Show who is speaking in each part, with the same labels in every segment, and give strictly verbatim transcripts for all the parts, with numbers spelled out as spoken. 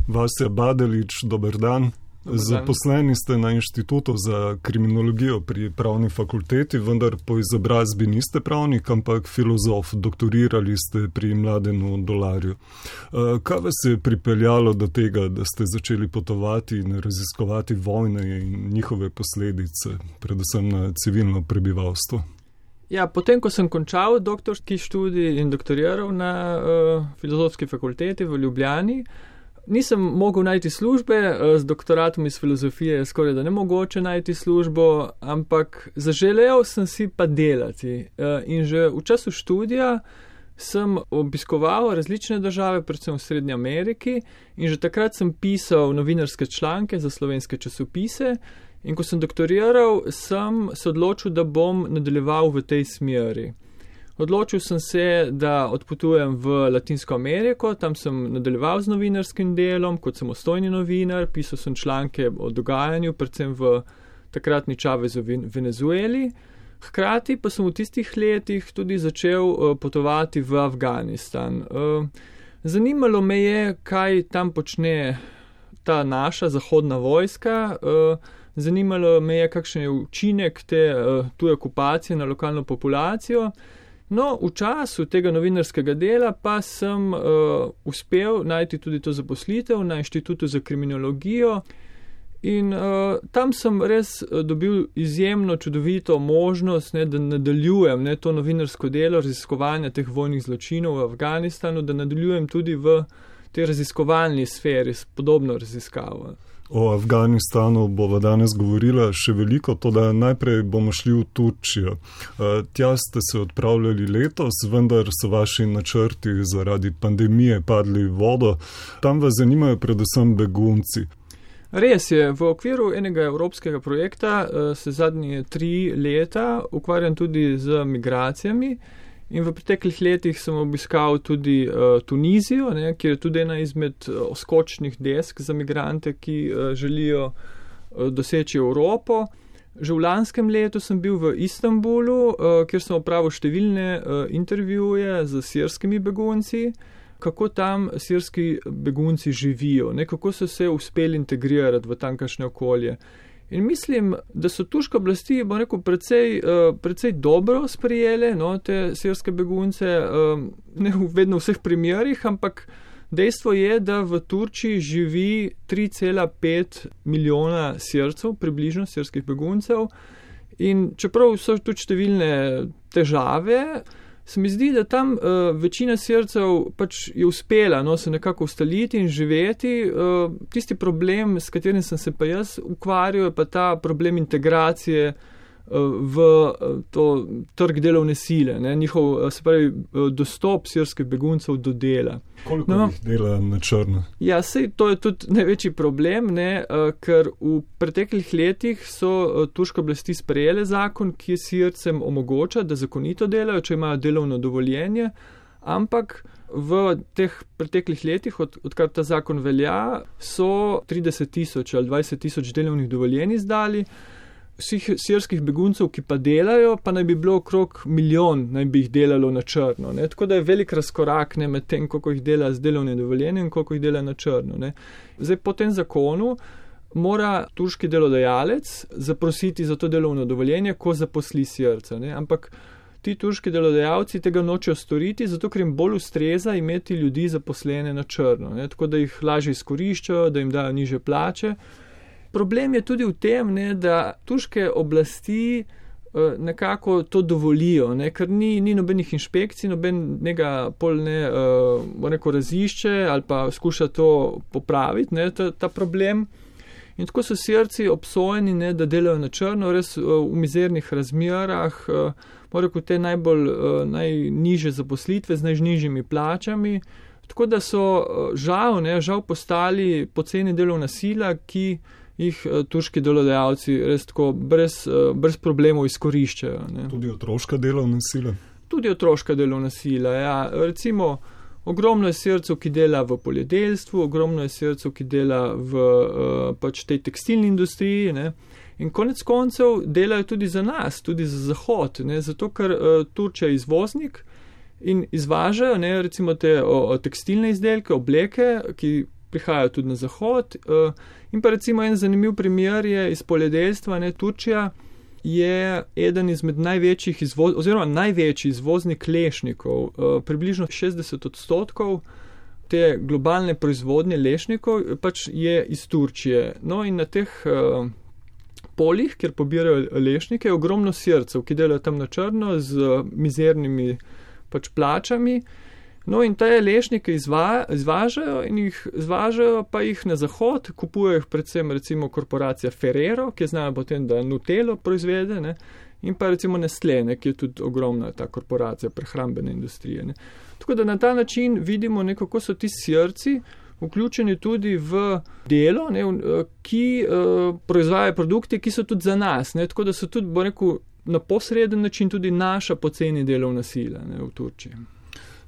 Speaker 1: Vasja Badelić, dober dan. Zaposleni ste na Inštitutu za kriminologijo pri pravni fakulteti, vendar po izobrazbi niste pravnik, ampak filozof. Doktorirali ste pri Mladenu Dolarju. Kaj vas je pripeljalo do tega, da ste začeli potovati in raziskovati vojne in njihove posledice, predvsem na civilno prebivalstvo?
Speaker 2: Ja, potem, ko sem končal doktorski študij in doktoriral na uh, filozofski fakulteti v Ljubljani, nisem mogel najti službe, z doktoratom iz filozofije je skoraj da nemogoče najti službo, ampak zaželel sem si pa delati. In že v času študija sem obiskoval različne države, predvsem v Srednji Ameriki, in že takrat sem pisal novinarske članke za slovenske časopise. In ko sem doktoriral, sem se odločil, da bom nadaljeval v tej smeri. Odločil sem se, da odpotujem v Latinsko Ameriko, tam sem nadaljeval z novinarskim delom, kot samostojni novinar, pisal sem članke o dogajanju, predvsem v takratni Čavezu v Venezueli. Hkrati pa sem v tistih letih tudi začel potovati v Afganistan. Zanimalo me je, kaj tam počne ta naša zahodna vojska, zanimalo me je, kakšen je učinek te tuje okupacije na lokalno populacijo. No, v času tega novinarskega dela pa sem uh, uspel najti tudi to zaposlitev na Inštitutu za kriminologijo in uh, tam sem res dobil izjemno čudovito možnost, ne, da nadaljujem ne, to novinarsko delo raziskovanja teh vojnih zločinov v Afganistanu, da nadaljujem tudi v tej raziskovalni sferi s podobno raziskavo.
Speaker 1: O Afganistanu bova danes govorila še veliko, to da najprej bomo šli v Turčijo. Tja ste se odpravljali letos, vendar so vaši načrti zaradi pandemije padli v vodo. Tam vas zanimajo predvsem begunci.
Speaker 2: Res je, v okviru enega evropskega projekta se zadnje tri leta ukvarjam tudi z migracijami. In v preteklih letih sem obiskal tudi uh, Tunizijo, ne, kjer je tudi ena izmed uh, skočnih desk za migrante, ki uh, želijo uh, doseči Evropo. Že v lanskem letu sem bil v Istanbulu, uh, kjer sem opravil številne uh, intervjuje z sirskimi begunci, kako tam sirski begunci živijo, ne, kako so se uspeli integrirati v tamkajšnje okolje. In mislim, da so turške oblasti, bom rekel, precej, uh, precej dobro sprijele no, te sirske begunce, uh, ne vedno v vseh primerih, ampak dejstvo je, da v Turčiji živi tri cela pet milijona Sircev, približno sirskih beguncev. In čeprav so tudi številne težave, se mi zdi, da tam uh, večina Sircev pač je uspela no, se nekako ustaliti in živeti. Uh, tisti problem, s katerim sem se pa jaz ukvarjal, je pa ta problem integracije uh, v uh, to trg delovne sile, ne, njihov, uh, se pravi, uh, dostop sirskih beguncev do dela.
Speaker 1: Koliko no, jih dela na črno?
Speaker 2: Ja, sej to je tudi največji problem, ne, uh, ker v preteklih letih so uh, turške oblasti sprejele zakon, ki Sircem omogoča, da zakonito delajo, če imajo delovno dovoljenje, ampak v teh preteklih letih, od, odkar ta zakon velja, so trideset tisoč ali dvajset tisoč delovnih dovoljenj izdali. Vseh sirskih beguncev, ki pa delajo, pa naj bi bilo okrog milijon, naj bi jih delalo na črno. Ne. Tako da je velik razkorak ne, med tem, koliko jih dela z delovnim dovoljenjem in koliko jih dela na črno. Ne. Zdaj, po tem zakonu mora turški delodajalec zaprositi za to delovno dovoljenje, ko zaposli Sirca. Ne. Ampak ti turški delodajalci tega nočejo storiti, zato ker jim bolj ustreza imeti ljudi zaposlene na črno. Ne. Tako da jih lažje izkoriščajo, da jim dajo nižje plače. Problem je tudi v tem, ne, da turške oblasti uh, nekako to dovolijo, ne, ker ni, ni nobenih inšpekcij, nobenega pol ne, uh, neko razišče ali pa skuša to popraviti, ne, ta, ta problem. In tako so Sirci obsojeni, ne, da delajo na črno, res uh, v mizernih razmerah, uh, morajo te najbolj uh, najniže zaposlitve z najnižjimi plačami. Tako da so uh, žal, ne, žal postali poceni delovna sila, ki jih turški delodajalci res tako brez, brez problemov izkoriščajo. Ne.
Speaker 1: Tudi otroška delovna sila?
Speaker 2: Tudi otroška delovna sila, ja. Recimo, ogromno je Sircev, ki dela v poljedelstvu, ogromno je Sircev, ki dela v pač tej tekstilni industriji, ne. In konec koncev delajo tudi za nas, tudi za Zahod, ne. Zato, ker Turčija je izvoznik in izvažajo, ne, recimo te o, o tekstilne izdelke, obleke, ki prihajajo tudi na zahod. In pa recimo en zanimiv primer je iz poljedelstva, ne, Turčija je eden izmed največjih izvoz, oziroma največji izvoznik lešnikov, približno šestdeset odstotkov te globalne proizvodnje lešnikov pač je iz Turčije. No in na teh poljih, kjer pobirajo lešnike, je ogromno Sircev, ki delajo tam na črno z mizernimi pač plačami. No in te lešnike izva, izvažajo in jih izvažajo pa jih na zahod, kupujejo jih predvsem recimo korporacija Ferrero, ki je znala potem, da Nutello proizvede, ne, in pa recimo Nestlé, ne, ki je tudi ogromna ta korporacija prehrambene industrije. Ne. Tako da na ta način vidimo, ne, kako so ti Sirci vključeni tudi v delo, ne, ki uh, proizvajajo produkte, ki so tudi za nas. Ne, tako da so tudi, bo rekel, na posreden način tudi naša poceni delovna sila, ne, v Turčiji.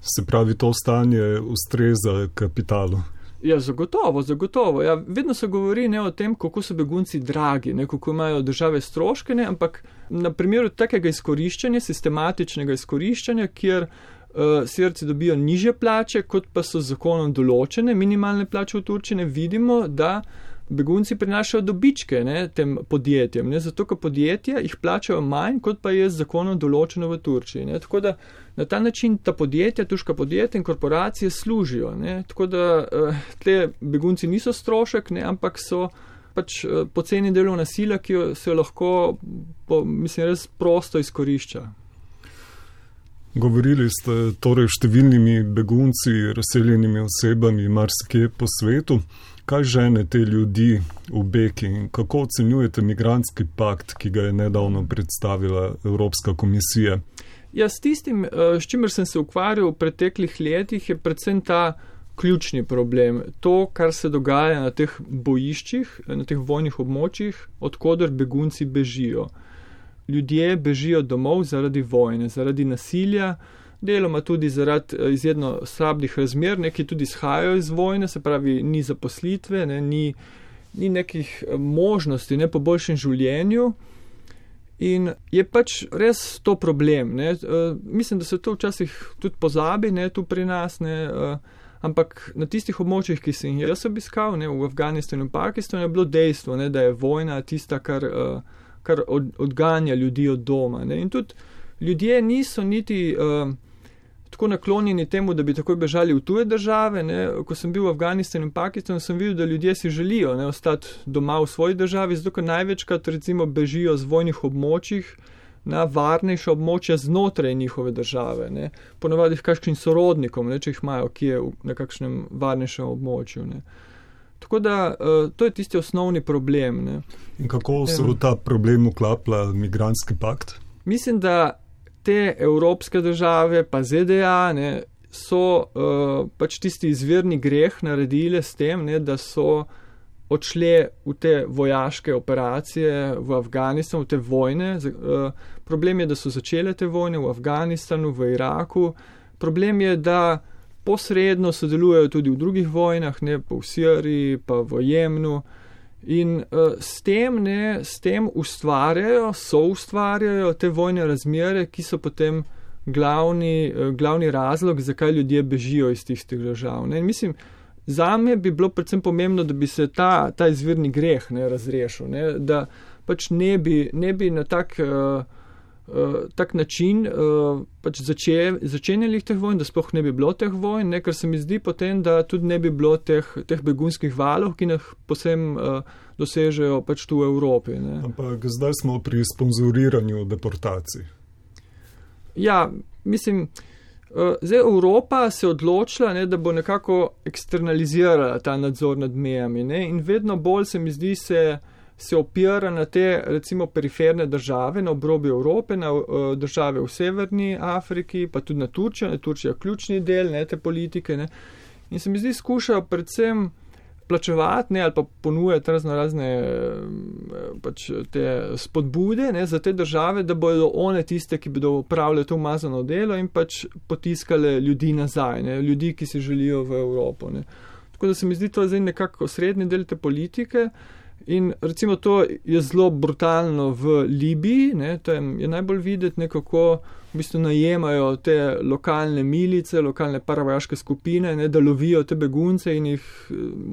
Speaker 1: Se pravi, to stanje ustreza kapitalu?
Speaker 2: Ja, zagotovo, zagotovo. Ja, vedno se govori, ne, o tem, kako so begunci dragi, ne, kako imajo države stroške, ne, ampak na primeru takega izkoriščanja, sistematičnega izkoriščanja, kjer uh, Sirci dobijo nižje plače, kot pa so z zakonom določene minimalne plače v Turčiji, vidimo, da begunci prinašajo dobičke, ne, tem podjetjem, ne, zato, ker podjetja jih plačajo manj, kot pa je z zakonom določeno v Turčiji. Ne. Tako da na ta način ta podjetja, turška podjetja in korporacije služijo. Ne. Tako da uh, tle begunci niso strošek, ne, ampak so pač uh, poceni delovna sila, ki jo se lahko, po, mislim, res prosto izkorišča.
Speaker 1: Govorili ste torej številnimi begunci, razseljenimi osebami marsikje po svetu. Kaj žene te ljudi v beg in kako ocenjujete migrantski pakt, ki ga je nedavno predstavila Evropska komisija?
Speaker 2: Ja, s tistim, s čimer sem se ukvarjal v preteklih letih, je predvsem ta ključni problem. To, kar se dogaja na teh bojiščih, na teh vojnih območjih, odkoder begunci bežijo. Ljudje bežijo domov zaradi vojne, zaradi nasilja, deloma tudi zaradi izjedno slabih razmer, neki tudi izhajajo iz vojne, se pravi, ni zaposlitve, ne, ni, ni nekih možnosti, ne, po boljšem življenju. In je pač res to problem. Ne. Mislim, da se to včasih tudi pozabi, ne, tu pri nas, ne, ampak na tistih območjih, ki sem jih jaz obiskal, ne, v Afganistanu in Pakistanu, je bilo dejstvo, ne, da je vojna tista, kar, kar od, odganja ljudi od doma. Ne. In tudi ljudje niso niti uh, tako naklonjeni temu, da bi takoj bežali v tuje države. Ne. Ko sem bil v Afganistanu in Pakistanu, sem videl, da ljudje si želijo, ne, ostati doma v svoji državi, zato ker največkrat recimo bežijo z vojnih območjih na varnejša območja znotraj njihove države. Ne. Ponavadi v kakšnim sorodnikom, ne, če jih imajo, ki je na kakšnem varnejšem območju. Ne. Tako da uh, to je tisti osnovni problem. Ne.
Speaker 1: In kako se v ta problem vklapla migrantski pakt?
Speaker 2: Mislim, da te evropske države, pa Z D A, ne, so uh, pač tisti izvirni greh naredile s tem, ne, da so odšle v te vojaške operacije v Afganistanu, v te vojne. Uh, problem je, da so začele te vojne v Afganistanu, v Iraku. Problem je, da posredno sodelujejo tudi v drugih vojnah, ne, pa v Siriji, pa v Jemnu. In uh, s tem, ne, s tem ustvarjajo, so ustvarjajo te vojne razmere, ki so potem glavni, uh, glavni razlog, zakaj ljudje bežijo iz tistih držav. Ne. In mislim, zame bi bilo predvsem pomembno, da bi se ta, ta izvirni greh, ne, razrešil, ne, da pač ne bi, ne bi na tak, uh, uh, tak način uh, pač zače, začenjali teh vojn, da sploh ne bi bilo teh vojn, ne, ker se mi zdi potem, da tudi ne bi bilo teh, teh begunskih valov, ki nas posem uh, dosežejo pač tu v Evropi. Ne.
Speaker 1: Ampak zdaj smo pri sponzoriranju deportacij.
Speaker 2: Ja, mislim, uh, zdaj Evropa se je odločila, ne, da bo nekako eksternalizirala ta nadzor nad mejami, ne, in vedno bolj se mi zdi se se opira na te, recimo, periferne države na obrobju Evrope, na uh, države v Severni Afriki, pa tudi na Turčijo, ne, Turčija ključni del, ne, te politike, ne. In se mi zdi, skušajo predvsem plačevati, ne, ali pa ponujati razno razne pač te spodbude, ne, za te države, da bodo one tiste, ki bodo upravljali to umazano delo in pač potiskale ljudi nazaj, ne, ljudi, ki si želijo v Evropo, ne. Tako da se mi zdi to zdaj nekako srednji del te politike. In recimo to je zelo brutalno v Libiji, ne, tam je najbolj videti nekako, v bistvu najemajo te lokalne milice, lokalne paravojaške skupine, ne, da lovijo te begunce in jih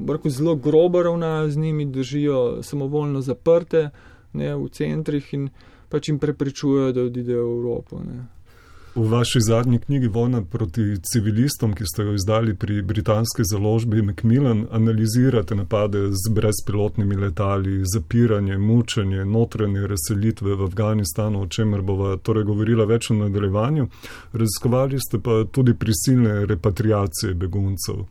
Speaker 2: rekel, zelo grobo ravnajo z njimi, držijo samovoljno zaprte, ne, v centrih in pač jim preprečujejo, da odidejo v Evropo. Ne.
Speaker 1: V vaši zadnji knjigi Vojna proti civilistom, ki ste jo izdali pri britanski založbi Macmillan, analizirate napade z brezpilotnimi letali, zapiranje, mučenje, notranje razselitve v Afganistanu, o čemer bova torej govorila več v nadaljevanju. Raziskovali ste pa tudi prisilne repatriacije beguncev.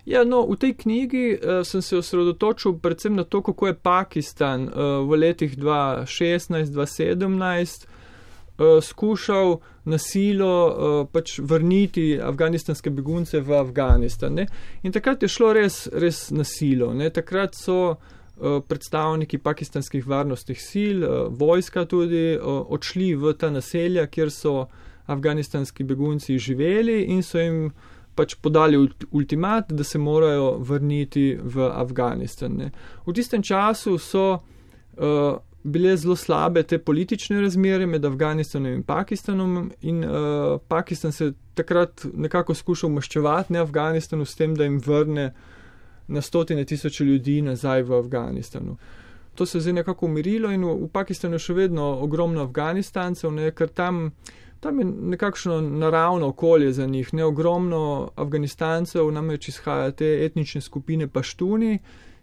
Speaker 2: Ja, no, v tej knjigi uh, sem se osredotočil predvsem na to, kako je Pakistan uh, v letih dva tisoč šestnajst do dva tisoč sedemnajst uh, skušal na silo uh, pač vrniti afganistanske begunce v Afganistan. Ne? In takrat je šlo res, res na silo. Ne? Takrat so uh, predstavniki pakistanskih varnostnih sil, uh, vojska tudi, uh, odšli v ta naselja, kjer so afganistanski begunci živeli in so jim pač podali ultimat, da se morajo vrniti v Afganistan. Ne. V tistem času so uh, bile zelo slabe te politične razmere med Afganistanom in Pakistanom in uh, Pakistan se takrat nekako skušal maščevati ne Afganistanu s tem, da jim vrne na stotine tisoče ljudi nazaj v Afganistanu. To se je zdaj nekako umirilo in v, v Pakistanu je še vedno ogromno Afganistancev, ne, ker tam Tam je nekakšno naravno okolje za njih, ne ogromno Afganistancev, namreč izhaja te etnične skupine Paštuni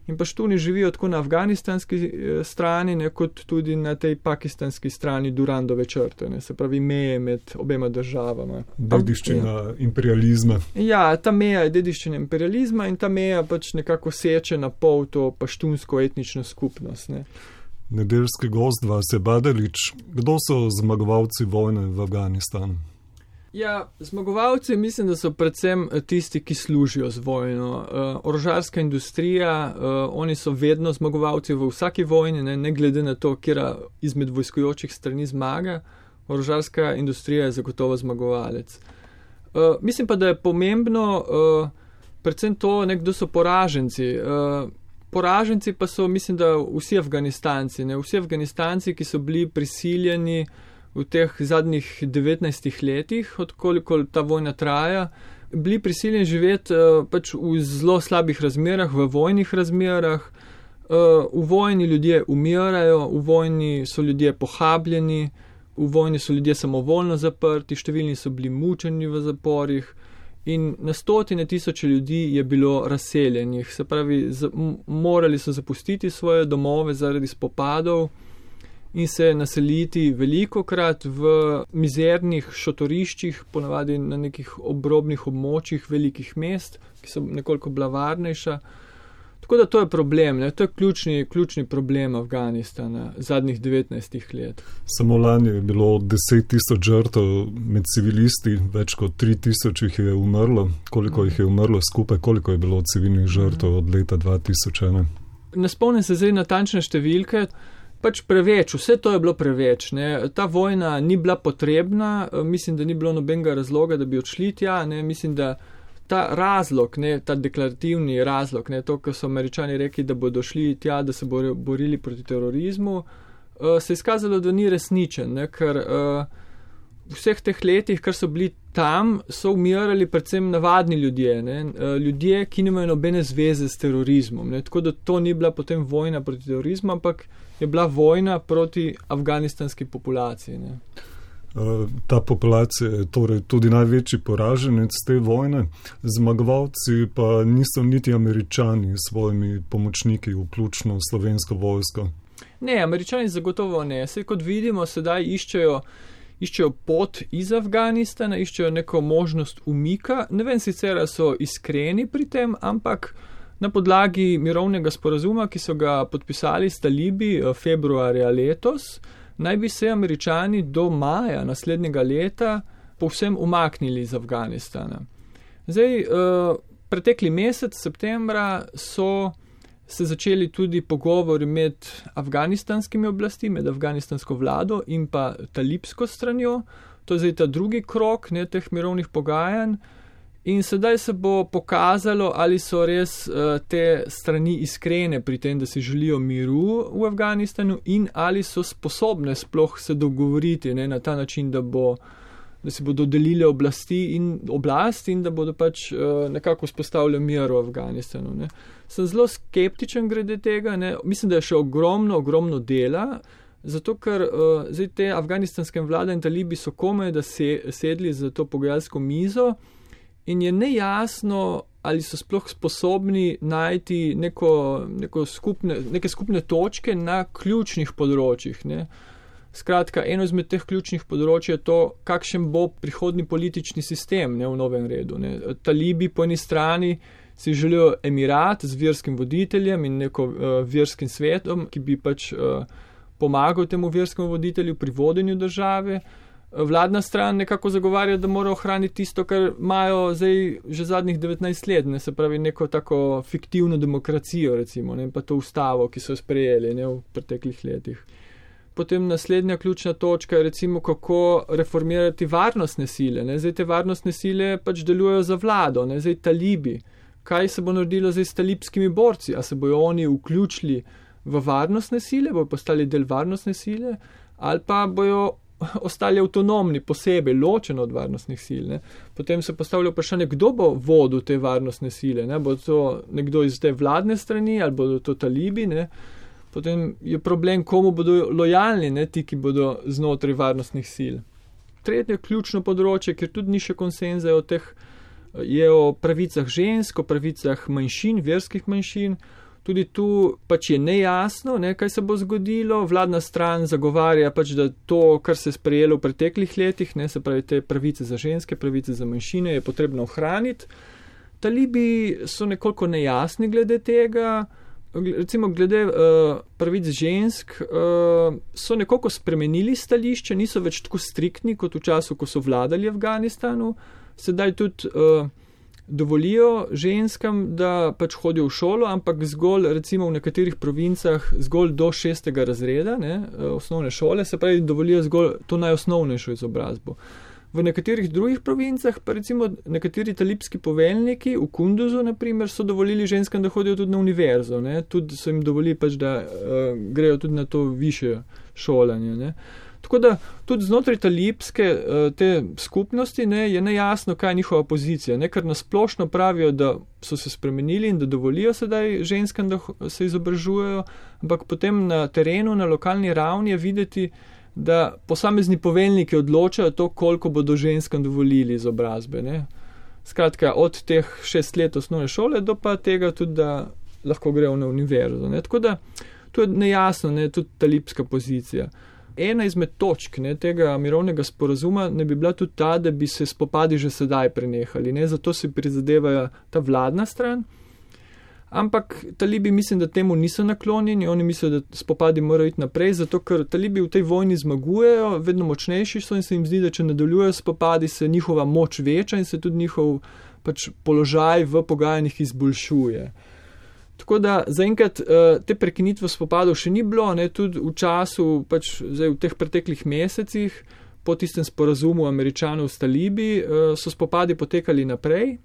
Speaker 2: in Paštuni živijo tako na afganistanski strani, ne, kot tudi na tej pakistanski strani Durandove črte, ne, se pravi meje med obema državama.
Speaker 1: Dediščina imperializma.
Speaker 2: Ja, ta meja je dediščina imperializma in ta meja pač nekako seče na pol to paštunsko etnično skupnost. Ne.
Speaker 1: Nedeljski gost vas je Badalič. Kdo so zmagovalci vojne v Afganistanu?
Speaker 2: Ja, zmagovalci mislim, da so predvsem tisti, ki služijo z vojno. Uh, orožarska industrija, uh, oni so vedno zmagovalci v vsaki vojni, ne, ne glede na to, kjera izmed vojskojočih strani zmaga. Orožarska industrija je zagotovo zmagovalec. Uh, mislim pa, da je pomembno uh, predvsem to, ne, kdo so poraženci. Uh, Poraženci pa so, mislim, da vsi Afganistanci, ne? Vsi Afganistanci, ki so bili prisiljeni v teh zadnjih devetnajstih letih, odkoliko ta vojna traja, bili prisiljeni živeti uh, pač v zelo slabih razmerah, v vojnih razmerah. Uh, v vojni ljudje umirajo, v vojni so ljudje pohabljeni, v vojni so ljudje samovoljno zaprti, številni so bili mučeni v zaporih. In na stotine tisoče ljudi je bilo razseljenih, se pravi, z, m, morali so zapustiti svoje domove zaradi spopadov in se naseliti velikokrat v mizernih šotoriščih, ponavadi na nekih obrobnih območjih velikih mest, ki so nekoliko bila varnejša. Tako da to je problem, ne? To je ključni, ključni problem Afganistana zadnjih devetnajstih let.
Speaker 1: Samo lani je bilo deset tisoč žrtev med civilisti, več kot tri tisoč jih je umrlo. Koliko jih je umrlo skupaj, koliko je bilo civilnih žrtev od leta dva tisoč ena?
Speaker 2: Ne spomnim se zdaj natančne številke, pač preveč, vse to je bilo preveč. Ne? Ta vojna ni bila potrebna, mislim, da ni bilo nobenega razloga, da bi odšli tja, ne? Mislim, da ta razlog, ne, ta deklarativni razlog, ne, to, ko so Američani rekli, da bodo šli tja, da se bodo borili proti terorizmu, uh, se je izkazalo, da ni resničen, ne, ker uh, v vseh teh letih, kar so bili tam, so umirali predvsem navadni ljudje, ne, uh, ljudje, ki nimajo nobene zveze s terorizmom, ne, tako da to ni bila potem vojna proti terorizmu, ampak je bila vojna proti afganistanski populaciji. Ne.
Speaker 1: Ta populacija je torej tudi največji poraženec te vojne. Zmagovalci pa niso niti Američani s svojimi pomočniki, vključno slovensko vojsko.
Speaker 2: Ne, Američani zagotovo ne. Saj kot vidimo, sedaj iščejo, iščejo pot iz Afganistana, iščejo neko možnost umika. Ne vem sicer, da so iskreni pri tem, ampak na podlagi mirovnega sporazuma, ki so ga podpisali s talibi februarja letos, naj bi se Američani do maja naslednjega leta povsem umaknili iz Afganistana. Zdaj, pretekli mesec, septembra, so se začeli tudi pogovori med afganistanskimi oblasti, med afganistansko vlado in pa talibsko stranjo. To je zdaj ta drugi krok ne, teh mirovnih pogajanj. In sedaj se bo pokazalo, ali so res uh, te strani iskrene pri tem, da si želijo miru v Afganistanu in ali so sposobne sploh se dogovoriti, ne, na ta način, da, bo, da si bodo delile oblasti in oblast in da bodo pač uh, nekako spostavili mir v Afganistanu. Ne. Sem zelo skeptičen glede tega, ne. Mislim, da je še ogromno, ogromno dela, zato ker uh, zdaj te afganistanske vlade in talibi so komaj, da se, sedli za to pogajalsko mizo, in je nejasno, ali so sploh sposobni najti neko, neko skupne, neke skupne točke na ključnih področjih. Ne. Skratka, eno izmed teh ključnih področij je to, kakšen bo prihodni politični sistem, ne, v novem redu. Ne. Talibi po eni strani si želijo emirat z verskim voditeljem in neko uh, verskim svetom, ki bi pač uh, pomagal temu verskemu voditelju pri vodenju države. Vladna stran nekako zagovarja, da mora ohraniti tisto, kar imajo zdaj že zadnjih devetnajst let, ne, se pravi neko tako fiktivno demokracijo, recimo, ne, pa to ustavo, ki so sprejeli, ne, v preteklih letih. Potem naslednja ključna točka je recimo, kako reformirati varnostne sile. Ne. Zdaj te varnostne sile pač delujejo za vlado, ne, zdaj talibi. Kaj se bo naredilo zdaj s talibskimi borci? A se bojo oni vključili v varnostne sile, bojo postali del varnostne sile, ali pa bojo ostali avtonomni, posebej, ločeno od varnostnih sil. Ne. Potem se postavlja vprašanje, kdo bo vodil te varnostne sile. Ne. Bo to nekdo iz te vladne strani ali bodo to talibi. Ne. Potem je problem, komu bodo lojalni, ne, ti, ki bodo znotraj varnostnih sil. Tretje ključno področje, kjer tudi ni še konsenza o teh, je o pravicah žensk, o pravicah manjšin, verskih manjšin. Tudi tu pač je nejasno, ne, kaj se bo zgodilo. Vladna stran zagovarja pač, da to, kar se je sprejelo v preteklih letih, ne, se pravi te pravice za ženske, pravice za manjšine, je potrebno ohraniti. Talibi so nekoliko nejasni glede tega. Recimo glede uh, pravic žensk uh, so nekoliko spremenili stališče, niso več tako striktni kot v času, ko so vladali Afganistanu. Sedaj tudi uh, dovolijo ženskam, da pač hodijo v šolo, ampak zgolj recimo v nekaterih provincah zgolj do šestega razreda, ne, osnovne šole, se pravi dovolijo zgolj to najosnovnejšo izobrazbo. V nekaterih drugih provincah pa recimo nekateri talibski poveljniki v Kunduzu naprimer so dovolili ženskam, da hodijo tudi na univerzo, ne, tudi so jim dovolili pač, da uh, grejo tudi na to višje šolanje, ne. Tako da tudi znotraj talibske te skupnosti, ne, je nejasno, kaj je njihova pozicija, ne, ker nasplošno pravijo, da so se spremenili in da dovolijo sedaj ženskam, da se izobražujejo, ampak potem na terenu, na lokalni ravni je videti, da posamezni poveljniki odločajo to, koliko bodo ženskam dovolili izobrazbe. Ne. Skratka, od teh šest let osnovne šole do pa tega tudi, da lahko grejo na univerzo. Ne. Tako da to je nejasno, ne, tudi talibska pozicija. Ena izmed točk, ne, tega mirovnega sporazuma ne bi bila tudi ta, da bi se spopadi že sedaj prenehali. Ne, zato se prizadevajo ta vladna stran. Ampak talibi mislim, da temu niso naklonjeni. Oni mislijo, da spopadi morajo iti naprej, zato ker talibi v tej vojni zmagujejo, vedno močnejši so in se jim zdi, da če nadaljujejo spopadi, se njihova moč veča in se tudi njihov pač položaj v pogajanjih izboljšuje. Tako da zaenkrat te prekinitve spopadov še ni bilo, ne, tudi v času, pač zdaj v teh preteklih mesecih, po tistem sporazumu Američanov s talibi, so spopadi potekali naprej.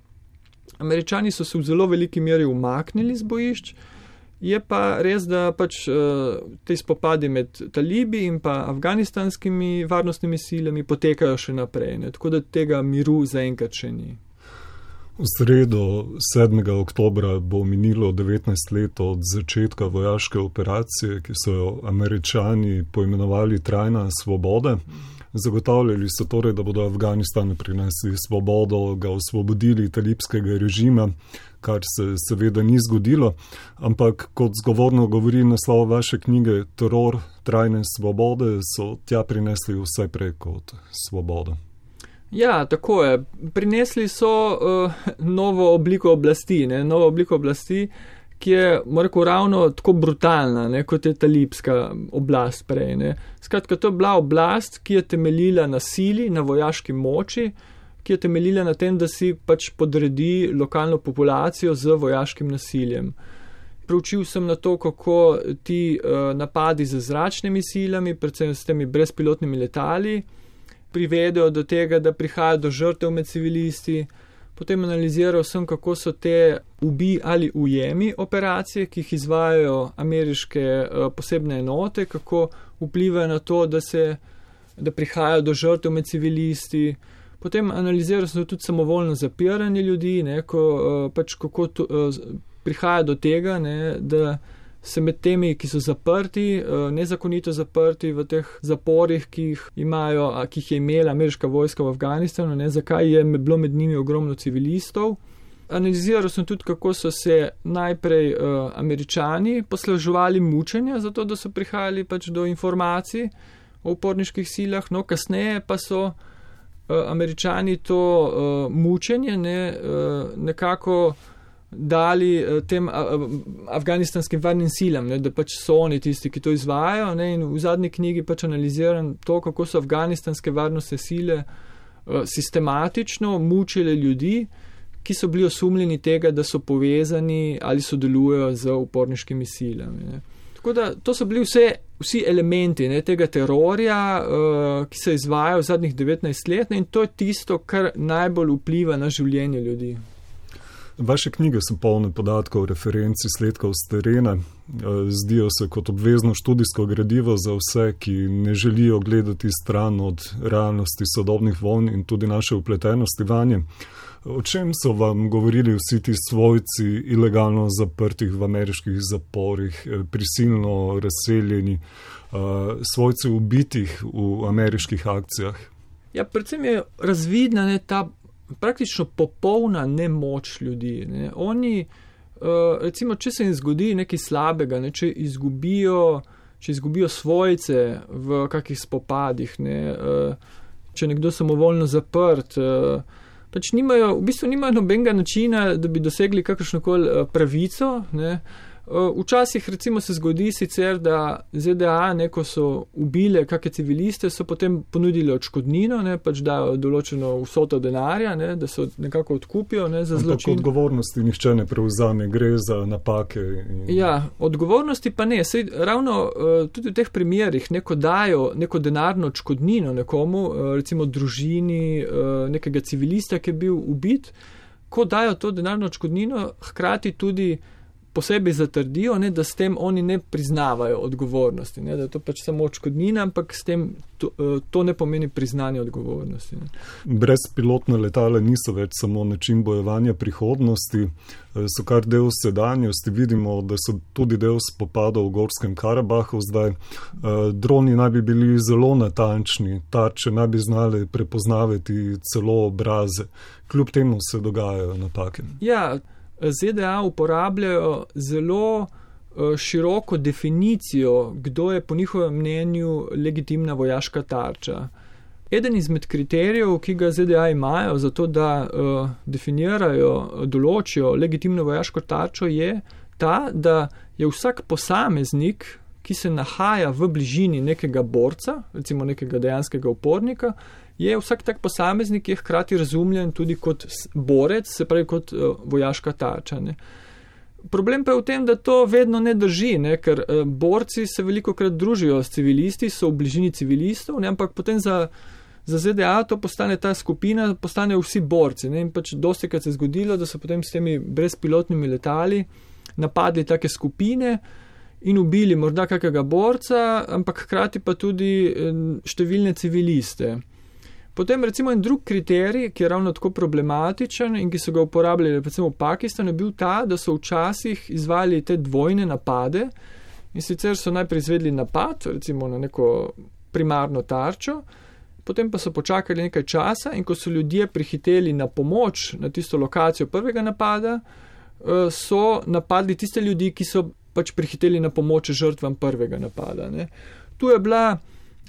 Speaker 2: Američani so se v zelo veliki meri umaknili z bojišč, je pa res, da pač te spopadi med talibi in pa afganistanskimi varnostnimi silami potekajo še naprej, ne, tako da tega miru zaenkrat še ni.
Speaker 1: V sredo sedmega oktobra bo minilo devetnajst let od začetka vojaške operacije, ki so jo Američani poimenovali Trajna svoboda. Zagotavljali so torej, da bodo Afganistanu prinesli svobodo, ga osvobodili talibskega režima, kar se seveda ni zgodilo, ampak kot zgovorno govori naslov vaše knjige Teror trajne svobode, so tja prinesli vse prej kot svobodo.
Speaker 2: Ja, tako je. Prinesli so uh, novo obliko oblasti, ne? novo obliko oblasti, ki je, moram reči, ravno tako brutalna, ne? kot je talibska oblast prej. Ne? Skratka, to je bila oblast, ki je temeljila na sili, na vojaški moči, ki je temeljila na tem, da si pač podredi lokalno populacijo z vojaškim nasiljem. Preučil sem na to, kako ti uh, napadi z zračnimi silami, predvsem s temi brezpilotnimi letali, privedejo do tega, da prihaja do žrtev med civilisti, Potem analiziral sem, kako so te ubi ali ujemi operacije, ki jih izvajajo ameriške uh, posebne enote, kako vplivajo na to, da se da prihajajo do žrtev med civilisti. Potem analiziral sem tudi samovoljno zapiranje ljudi, ne, ko, uh, pač kako to, uh, prihaja do tega, ne, da se med temi, ki so zaprti, uh, nezakonito zaprti v teh zaporih, ki jih imajo, a, ki jih je imela ameriška vojska v Afganistanu, ne, zakaj je bilo med njimi ogromno civilistov. Analiziral sem tudi, kako so se najprej uh, Američani posluževali mučenja, zato da so prihajali pač do informacij o uporniških silah, no kasneje pa so uh, Američani to uh, mučenje ne, uh, nekako dali uh, tem uh, afganistanskim varnim silam, ne, da pač so oni tisti, ki to izvajajo, ne, in v zadnji knjigi pač analiziram to, kako so afganistanske varnostne sile uh, sistematično mučile ljudi, ki so bili osumljeni tega, da so povezani ali sodelujejo z uporniškimi silami. Ne. Tako da to so bili vse, vsi elementi ne, tega terorja, uh, ki se izvaja v zadnjih devetnajst let, ne, in to je tisto, kar najbolj vpliva na življenje ljudi.
Speaker 1: Vaše knjige so polne podatkov, referenc, izsledkov s terena. Zdijo se kot obvezno študijsko gradivo za vse, ki ne želijo gledati stran od realnosti sodobnih vojn in tudi naše vpletenosti vanje. O čem so vam govorili vsi ti svojci ilegalno zaprtih v ameriških zaporih, prisilno razseljeni, svojci ubitih v ameriških akcijah?
Speaker 2: Ja, predvsem je razvidna ne, ta praktično popolna nemoč ljudi. Ne. Oni, recimo, če se jim zgodi nekaj slabega, ne, če izgubijo, če izgubijo svojce v kakih spopadih, ne, če je nekdo samovoljno zaprt, pač nimajo, v bistvu nimajo nobenega načina, da bi dosegli kakršnokoli pravico. Ne. Včasih recimo se zgodi sicer, da Z D A, ne, ko so ubile kakšne civiliste, so potem ponudili odškodnino, ne, pač dajo določeno vsoto denarja, ne, da se nekako odkupijo ne, za zločin.
Speaker 1: Ampak odgovornosti nihče ne prevzame, gre za napake. In...
Speaker 2: Ja, odgovornosti pa ne. Sej, ravno tudi v teh primerih, ne, ko dajo neko denarno odškodnino nekomu, recimo družini nekega civilista, ki je bil ubit, ko dajo to denarno odškodnino, hkrati tudi posebej zatrdijo, ne, da s tem oni ne priznavajo odgovornosti, ne, da je to pač samo odškodnina, ampak s tem to, to ne pomeni priznanje odgovornosti. Ne.
Speaker 1: Brezpilotna letala niso več samo način bojevanja prihodnosti, so kar del sedanjosti. Vidimo, da so tudi del spopadov v Gorskem Karabahu zdaj. Droni naj bi bili zelo natančni, tarče naj bi znali prepoznavati celo obraze. Kljub temu se dogajajo napake.
Speaker 2: Ja, Z D A uporabljajo zelo široko definicijo, kdo je po njihovem mnenju legitimna vojaška tarča. Eden izmed kriterijev, ki ga Z D A imajo za to, da uh, definirajo, določijo legitimno vojaško tarčo, je ta, da je vsak posameznik, ki se nahaja v bližini nekega borca, recimo nekega dejanskega upornika, je vsak tak posameznik je hkrati razumljen tudi kot borec, se pravi kot uh, vojaška tarča. Ne. Problem pa je v tem, da to vedno ne drži, ne, ker uh, borci se velikokrat družijo s civilisti, so v bližini civilistov, ne, ampak potem za, za Z D A to postane ta skupina, postanejo vsi borci. Ne, in pač dostikrat se je zgodilo, da so potem s temi brezpilotnimi letali napadli take skupine in ubili morda kakega borca, ampak hkrati pa tudi številne civiliste. Potem recimo en drug kriterij, ki je ravno tako problematičen in ki so ga uporabljali recimo v Pakistanu, je bil ta, da so včasih izvajali te dvojne napade in sicer so najprej izvedli napad, recimo na neko primarno tarčo, potem pa so počakali nekaj časa in ko so ljudje prihiteli na pomoč na tisto lokacijo prvega napada, so napadli tiste ljudi, ki so pač prihiteli na pomoč žrtvam prvega napada. Ne. Tu je bila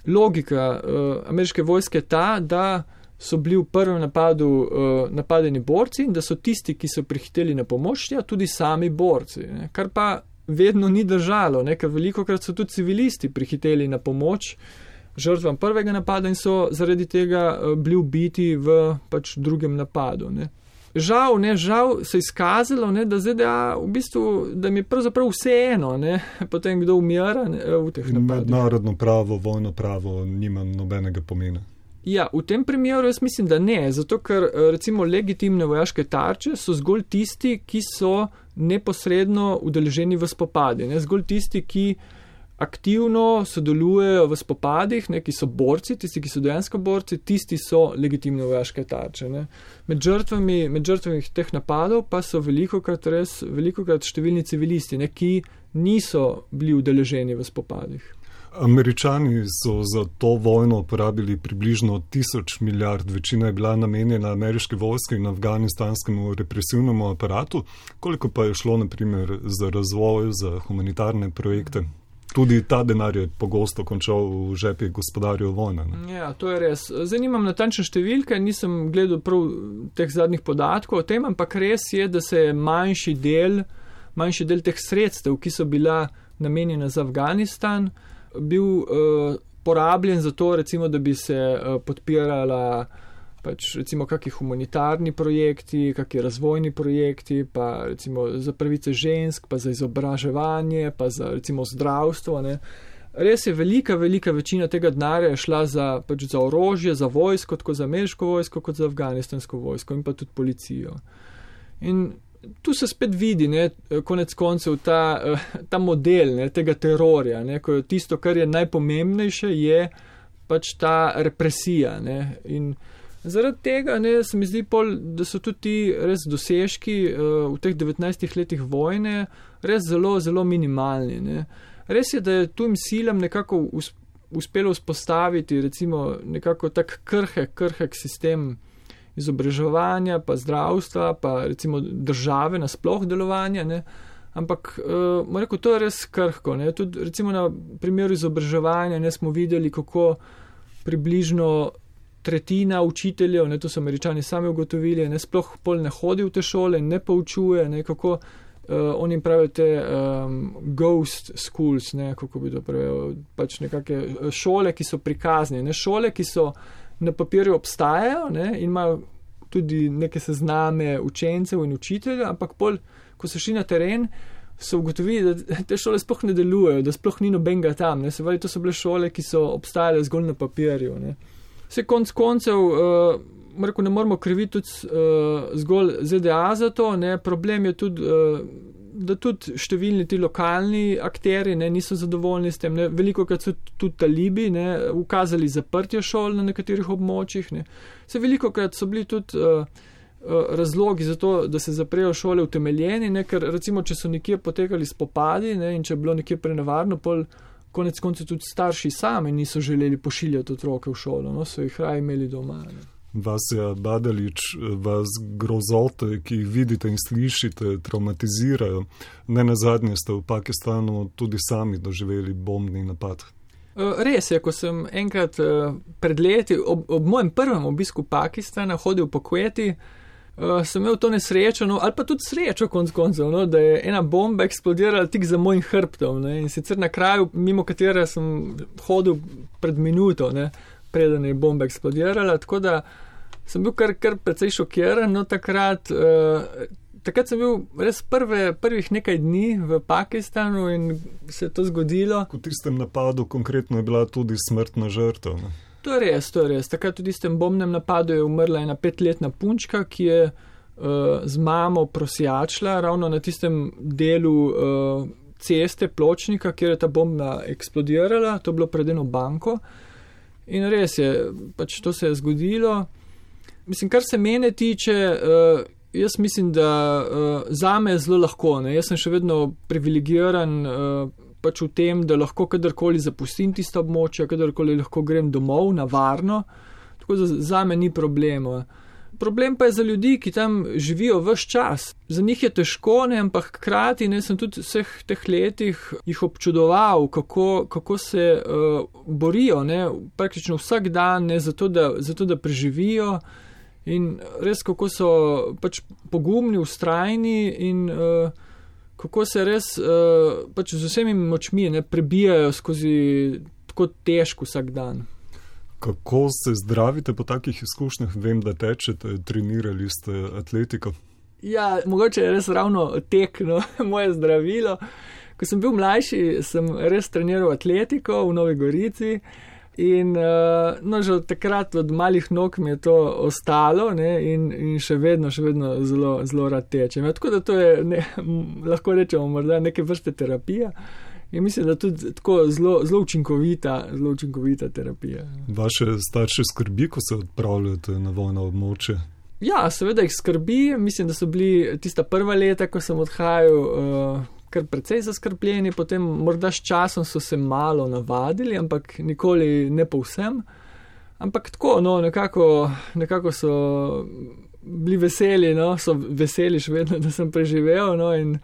Speaker 2: logika uh, ameriške vojske ta, da so bili v prvem napadu uh, napadeni borci in da so tisti, ki so prihiteli na pomoč, ja, tudi sami borci. Ne. Kar pa vedno ni držalo, ne, ker velikokrat so tudi civilisti prihiteli na pomoč žrtvam prvega napada in so zaradi tega uh, bili ubiti v pač drugem napadu. Ne. Žal, ne, žal se je izkazalo, ne, da Z D A v bistvu, da mi je pravzaprav vseeno, ne, potem kdo umira ne, v teh napadih.
Speaker 1: Mednarodno pravo, vojno pravo nima nobenega pomena.
Speaker 2: Ja, v tem primeru jaz mislim, da ne, zato ker recimo legitimne vojaške tarče so zgolj tisti, ki so neposredno udeleženi v spopadi, ne? Zgolj tisti, ki aktivno sodelujejo v spopadih, ne? Ki so borci, tisti, ki so dejansko borci, tisti so legitimne vojaške tarče. Ne? Med žrtvami, med žrtvami teh napadov pa so velikokrat res, velikokrat številni civilisti, ne? Ki niso bili udeleženi v spopadih.
Speaker 1: Američani so za to vojno porabili približno tisoč milijard, večina je bila namenjena ameriški vojski in afganistanskemu represivnemu aparatu. Koliko pa je šlo, na primer, za razvoj, za humanitarne projekte? Tudi ta denar je pogosto končal v žepih gospodarjev vojne. Ne?
Speaker 2: Ja, to je res. Zdaj nimam natančne številke, nisem gledal prav teh zadnjih podatkov o tem, ampak res je, da se je manjši del, manjši del teh sredstev, ki so bila namenjena za Afganistan, bil uh, porabljen za to, recimo, da bi se uh, podpirala pač recimo kakšni humanitarni projekti, kakšni razvojni projekti, pa recimo za pravice žensk, pa za izobraževanje, pa za recimo zdravstvo. Ne. Res je velika, velika večina tega denarja šla za, pač za orožje, za vojsko, tako za ameriško vojsko, kot za afganistansko vojsko in pa tudi policijo. In tu se spet vidi, ne, konec koncev, ta, ta model, ne, tega terorja, ne, ko je tisto, kar je najpomembnejše, je pač ta represija. Ne, in zaradi tega, ne, se mi zdi pol, da so tudi ti res dosežki uh, v teh devetnajstih letih vojne res zelo, zelo minimalni. Ne. Res je, da je tujim silam nekako us, uspelo vzpostaviti recimo nekako tak krhek, krhek sistem izobraževanja, pa zdravstva, pa recimo države nasploh delovanja, ne. Ampak, uh, rekel, to je res krhko, ne. Tudi recimo na primeru izobraževanja, ne, smo videli, kako približno tretjina učiteljev, ne, to so Američani sami ugotovili, ne, sploh pol ne hodi v te šole, ne poučuje, ne, kako uh, oni pravijo te um, ghost schools, ne, kako bi to pravijo, pač nekake šole, ki so prikazne, ne, šole, ki so na papirju obstajajo, ne, in imajo tudi neke sezname učencev in učiteljev, ampak pol, ko so šli na teren, so ugotovili, da te šole sploh ne delujejo, da sploh ni nobenega tam, ne, se pravi, to so bile šole, ki so obstajale zgolj na papirju, ne. Vse konc koncev, uh, rekel, ne moramo kriviti tudi uh, zgolj Z D A za to, ne, problem je tudi, uh, da tudi številni ti lokalni akteri, ne, niso zadovoljni s tem, ne, veliko krat so tudi talibi, ne, ukazali zaprtje šol na nekaterih območjih, ne. Se veliko krat so bili tudi uh, uh, razlogi za to, da se zaprejo šole utemeljeni, ne, ker recimo, če so nekje potekali spopadi, ne, in če je bilo nekje prenevarno, pol konec koncev tudi starši sami niso želeli pošiljati otroke v šolo, no, so jih raje imeli doma. Ne.
Speaker 1: Vasja Badalič, vas grozote, ki jih vidite in slišite, traumatizirajo. Ne nazadnje ste v Pakistanu tudi sami doživeli bombni napad.
Speaker 2: Res je, ko sem enkrat pred leti, ob, ob mojem prvem obisku Pakistana, hodil po Kuweti, sem imel to nesrečo, no, ali pa tudi srečo konc koncev, no, da je ena bomba eksplodirala tik za mojim hrbtom, ne, in sicer na kraju, mimo katere sem hodil pred minuto, ne, preden je bomba eksplodirala, tako da sem bil kar, kar precej šokiran, no, takrat, uh, takrat sem bil res prve, prvih nekaj dni v Pakistanu in se je to zgodilo.
Speaker 1: V tistem napadu konkretno je bila tudi smrtna žrtev, ne?
Speaker 2: To je res, to je res. Takrat v tistem bombnem napadu je umrla ena petletna punčka, ki je uh, z mamo prosjačila ravno na tistem delu uh, ceste, pločnika, kjer je ta bomba eksplodirala, to je bilo pred eno banko. In res je, pač to se je zgodilo. Mislim, kar se mene tiče, uh, jaz mislim, da uh, zame je zelo lahko, ne. Jaz sem še vedno privilegiran uh, pač v tem, da lahko kadarkoli zapustim tista območja, kadarkoli lahko grem domov na varno, tako da zame ni problema. Problem pa je za ljudi, ki tam živijo ves čas. Za njih je težko, ne, ampak hkrati, ne, sem tudi vseh teh letih jih občudoval, kako, kako se uh, borijo, ne, praktično vsak dan, ne, zato da, zato da preživijo in res kako so pač pogumni, vztrajni in uh, kako se res uh, pač z vsemi močmi, ne, prebijajo skozi tako težko vsak dan.
Speaker 1: Kako se zdravite po takih izkušnjah? Vem, da tečete, trenirali ste atletiko.
Speaker 2: Ja, mogoče je res ravno tek, no, moje zdravilo. Ko sem bil mlajši, sem res treniral atletiko v Novi Gorici. In uh, no, že od takrat od malih nog mi je to ostalo, ne, in, in še vedno, še vedno zelo, zelo rad tečem. Ja, tako da to je, ne, lahko rečemo, morda neke vrste terapija. In mislim, da tudi tako zelo, zelo učinkovita, zelo učinkovita terapija.
Speaker 1: Vaše starše skrbi, ko se odpravljate na vojno območje?
Speaker 2: Ja, seveda jih skrbi. Mislim, da so bili tista prva leta, ko sem odhajal, uh, kar precej zaskrbljeni, potem morda s časom so se malo navadili, ampak nikoli ne povsem. Ampak tako, no, nekako, nekako so bili veseli, no, so veseli še vedno, da sem preživel, no, in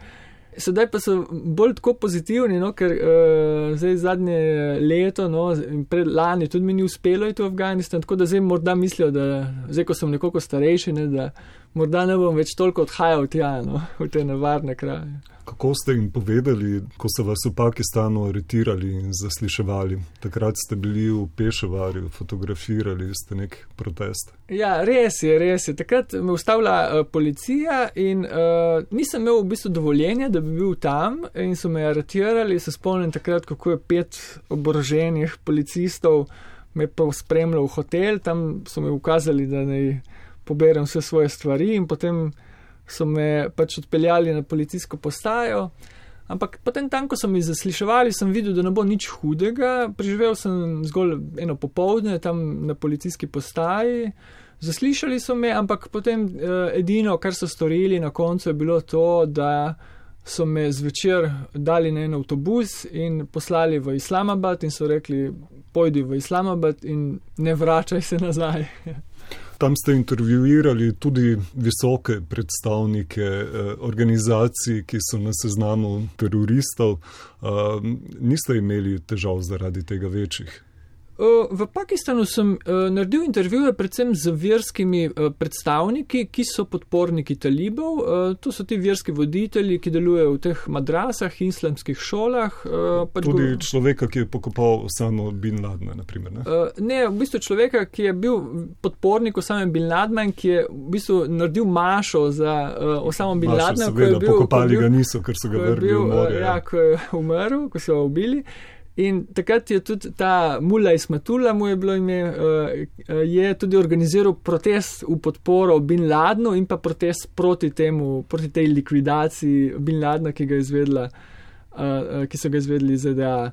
Speaker 2: sedaj pa so bolj tako pozitivni, no, ker uh, zdaj zadnje leto, no, pred lani tudi mi ni uspelo iti v Afganistan, tako da zdaj morda mislijo, da zdaj, ko sem nekoliko starejši, ne, da morda ne bom več toliko odhajal tja, no, v te nevarne kraje.
Speaker 1: Kako ste jim povedali, ko so vas v Pakistanu aretirali in zasliševali? Takrat ste bili v Pešavarju, fotografirali ste nek protest.
Speaker 2: Ja, res je, res je. Takrat me ustavila uh, policija in uh, nisem imel v bistvu dovoljenja, da bi bil tam in so me aretirali. Se spomnim takrat, kako je pet oboroženih policistov me pa spremljal v hotel, tam so mi ukazali, da naj poberem vse svoje stvari in potem so me pač odpeljali na policijsko postajo, ampak potem tam, ko so mi zasliševali, sem videl, da ne bo nič hudega, preživel sem zgolj eno popoldne tam na policijski postaji, zaslišali so me, ampak potem eh, edino, kar so storili na koncu, je bilo to, da so me zvečer dali na en avtobus in poslali v Islamabad in so rekli, pojdi v Islamabad in ne vračaj se nazaj.
Speaker 1: Tam ste intervjuirali tudi visoke predstavnike eh, organizacij, ki so na seznamu teroristov. Eh, niste imeli težav zaradi tega večjih?
Speaker 2: V Pakistanu sem naredil intervjuje predvsem z verskimi predstavniki, ki so podporniki talibov. To so ti verski voditelji, ki delujejo v teh madrasah, islamskih šolah.
Speaker 1: Pač tudi go... človeka, ki je pokopal Osamo bin Ladna, naprimer, ne?
Speaker 2: Ne, v bistvu človeka, ki je bil podpornik Osame bin Ladna, ki je v bistvu naredil mašo za Osamo bin Ladna.
Speaker 1: Mašo, seveda, pokopali ga niso, ker so ga vrgli v morje.
Speaker 2: Ja, ko je umrl, ko so ga ubili. In takrat je tudi ta Mullah Ismatullah, mu je bilo ime, je tudi organiziral protest v podporo bin Ladnu in pa protest proti temu, proti tej likvidaciji bin Ladna, ki ga je izvedla, ki so ga izvedli iz Z D A.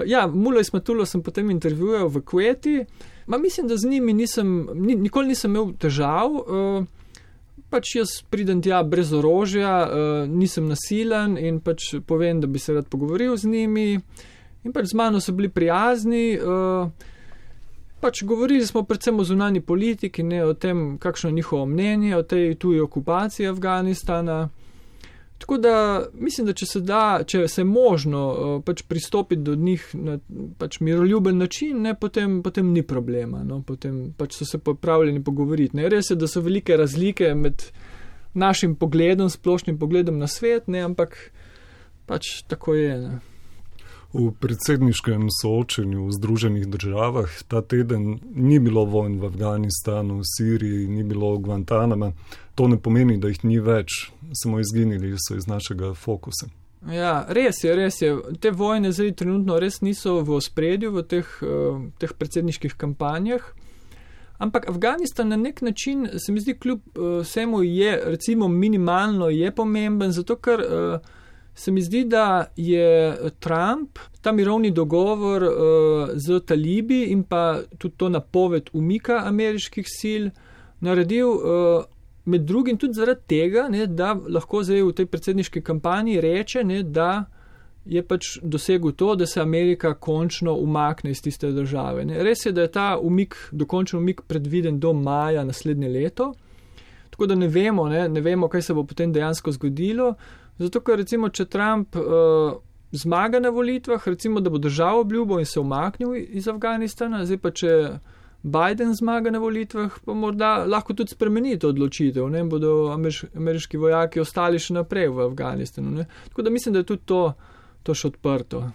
Speaker 2: Ja, Mullah Ismatullah sem potem intervjujal v Kuwaiti, ma mislim, da z njimi nisem, nikoli nisem imel težav, pač jaz pridem tja brez orožja, nisem nasilen in pač povem, da bi se rad pogovoril z njimi. In pač z mano so bili prijazni, uh, pač govorili smo predvsem o zunanji politiki, ne o tem, kakšno je njihovo mnenje o tej tuji okupaciji Afganistana. Tako da mislim, da če se da, če se je možno uh, pač pristopiti do njih na pač miroljuben način, ne, potem, potem ni problema, no, potem pač so se pripravljeni pogovoriti. Ne. Res je, da so velike razlike med našim pogledom, splošnim pogledom na svet, ne, ampak pač tako je, ne.
Speaker 1: V predsedniškem soočenju v Združenih državah ta teden ni bilo vojn v Afganistanu, v Siriji, ni bilo v Guantanama. To ne pomeni, da jih ni več, samo izginili so iz našega fokusa.
Speaker 2: Ja, res je, res je. Te vojne zdaj trenutno res niso v ospredju v teh, uh, teh predsedniških kampanjah. Ampak Afganistan na nek način, se mi zdi, kljub uh, vsemu je, recimo minimalno je pomemben, zato ker uh, se mi zdi, da je Trump ta mirovni dogovor uh, z talibi in pa tudi to napoved umika ameriških sil naredil uh, med drugim tudi zaradi tega, ne, da lahko zdaj v tej predsedniški kampanji reče, ne, da je pač dosegel to, da se Amerika končno umakne iz tiste države. Ne. Res je, da je ta umik, dokončen umik predviden do maja naslednje leto, tako da ne vemo, ne, ne vemo, kaj se bo potem dejansko zgodilo. Zato, ker recimo, če Trump uh, zmaga na volitvah, recimo, da bo držal obljubo in se umaknil iz Afganistana, zdaj pa če Biden zmaga na volitvah, pa morda lahko tudi spremeni to odločitev, ne, bodo ameriš, ameriški vojaki ostali še naprej v Afganistanu, ne. Tako da mislim, da je tudi to, to še odprto.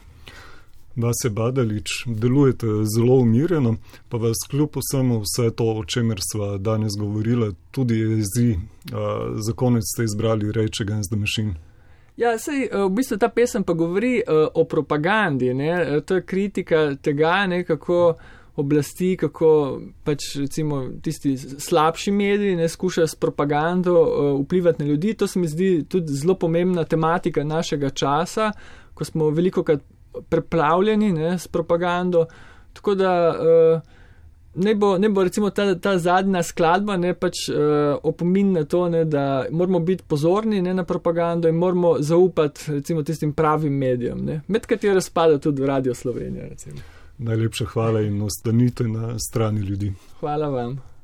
Speaker 1: Vasja Badalić, delujete zelo umirjeno, pa vas kljub vsemu vse to, o čemer sva danes govorila, tudi jezi. Uh, za konec ste izbrali Rage Against the Machine.
Speaker 2: Ja, sej, v bistvu ta pesem pa govori uh, o propagandi, ne? To je kritika tega, ne, kako oblasti, kako pač recimo tisti slabši mediji ne skušajo s propagando uh, vplivati na ljudi. To se mi zdi tudi zelo pomembna tematika našega časa, ko smo velikokrat preplavljeni ne, s propagando. Tako da uh, ne bo, ne bo recimo ta, ta zadnja skladba ne pač uh, opomin na to, ne, da moramo biti pozorni ne, na propagando in moramo zaupati recimo tistim pravim medijem, ne, med katero spada tudi Radio Slovenija. Recimo.
Speaker 1: Najlepša hvala in ostanite na strani ljudi.
Speaker 2: Hvala vam.